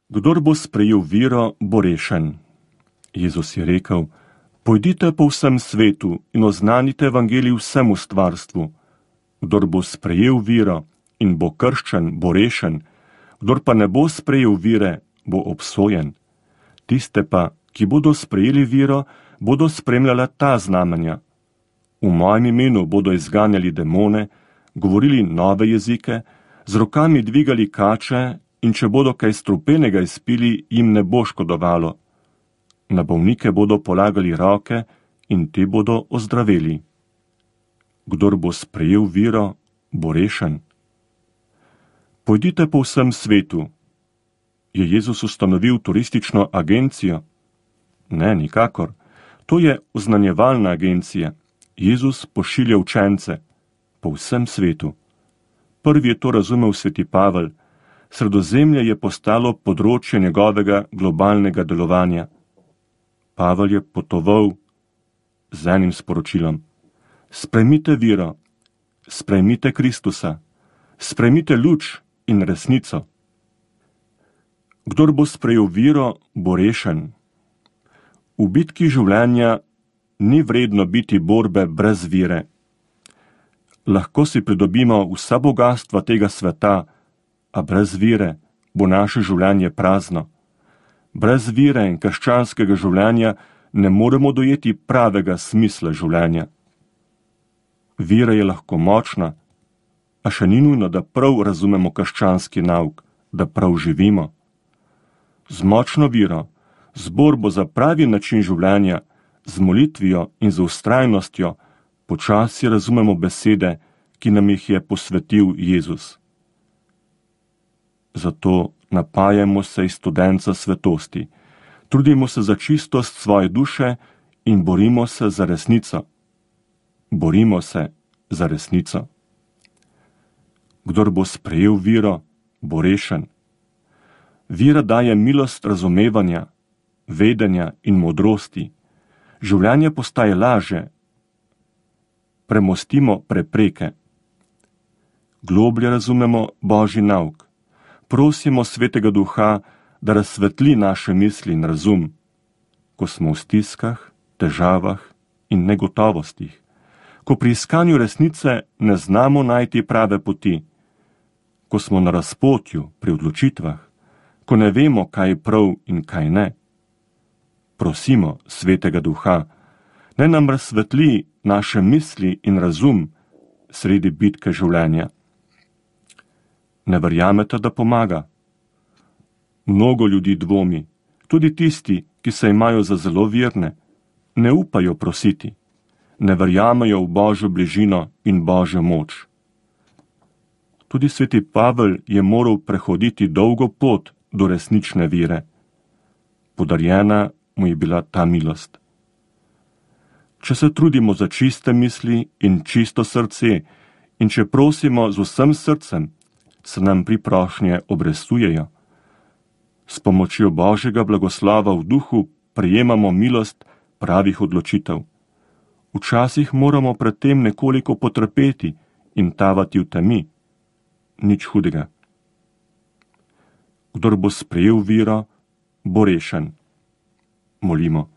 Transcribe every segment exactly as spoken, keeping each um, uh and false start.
Kdor bo sprejel vero, bo rešen. Jezus je rekel: Pojdite po vsem svetu in oznanite evangelij vsemu stvarstvu. Kdor bo sprejel vero in bo krščen, bo rešen, kdor pa ne bo sprejel vire, bo obsojen. Tiste pa, ki bodo sprejeli vero, bodo spremljala ta znamenja. V mojem imenu bodo izganjali demone, govorili nove jezike, z rokami dvigali kače in če bodo kaj strupenega izpili, jim ne bo škodovalo. Na bolnike bodo polagali roke in te bodo ozdravili. Kdor bo sprejel viro, bo rešen. Pojdite po vsem svetu. Je Jezus ustanovil turistično agencijo? Ne, nikakor. To je oznanjevalna agencija. Jezus pošilja učence po vsem svetu. Prvi je to razumel sveti Pavel. Sredozemlje je postalo področje njegovega globalnega delovanja. Pavel je potoval z enim sporočilom: sprejmite viro, sprejmite Kristusa, sprejmite luč in resnico. Kdor bo sprejel viro, bo rešen. V bitki življenja ni vredno biti borbe brez vire. Lahko si pridobimo vsa bogastva tega sveta, a brez vire bo naše življenje prazno. Brez vire in krščanskega življenja ne moremo dojeti pravega smisla življenja. Vira je lahko močna, a še ni nujno, da prav razumemo krščanski nauk, da prav živimo. Z močno viro, z borbo za pravi način življenja, z molitvijo in z vztrajnostjo počasi razumemo besede, ki nam jih je posvetil Jezus. Zato napajamo se iz studenca svetosti, trudimo se za čistost svoje duše in borimo se za resnico. Borimo se za resnico. Kdor bo sprejel viro, bo rešen. Vira daje milost razumevanja, vedenja in modrosti. Življenje postaje laže. Premostimo prepreke. Globlje razumemo Božji nauk. Prosimo Svetega Duha, da razsvetli naše misli in razum, ko smo v stiskah, težavah in negotovostih, ko pri iskanju resnice ne znamo najti prave poti, ko smo na razpotju pri odločitvah, ko ne vemo, kaj je prav in kaj ne. Prosimo Svetega Duha, naj nam razsvetli naše misli in razum sredi bitke življenja. Ne verjamete, da pomaga? Mnogo ljudi dvomi, tudi tisti, ki se imajo za zelo verne, ne upajo prositi, ne verjamejo v Božjo bližino in Božjo moč. Tudi sveti Pavel je moral prehoditi dolgo pot do resnične vire. Podarjena mu je bila ta milost. Če se trudimo za čiste misli in čisto srce in če prosimo z vsem srcem, se nam priprošnje obrestujejo. S pomočjo Božjega blagoslova v duhu prejemamo milost pravih odločitev. Včasih moramo pred tem nekoliko potrpeti in tavati v temi. Nič hudega. Kdor bo sprejel viro, bo rešen. Molimo.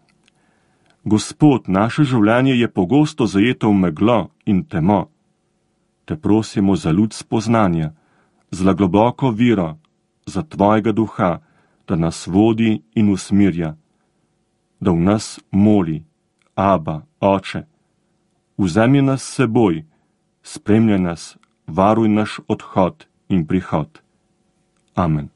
Gospod, naše življenje je pogosto zajeto v meglo in temo. Te prosimo za luč spoznanja, za globoko viro, za Tvojega Duha, da nas vodi in usmirja, da v nas moli: Aba, Oče, vzemi nas s seboj, spremljaj nas, varuj naš odhod in prihod. Amen.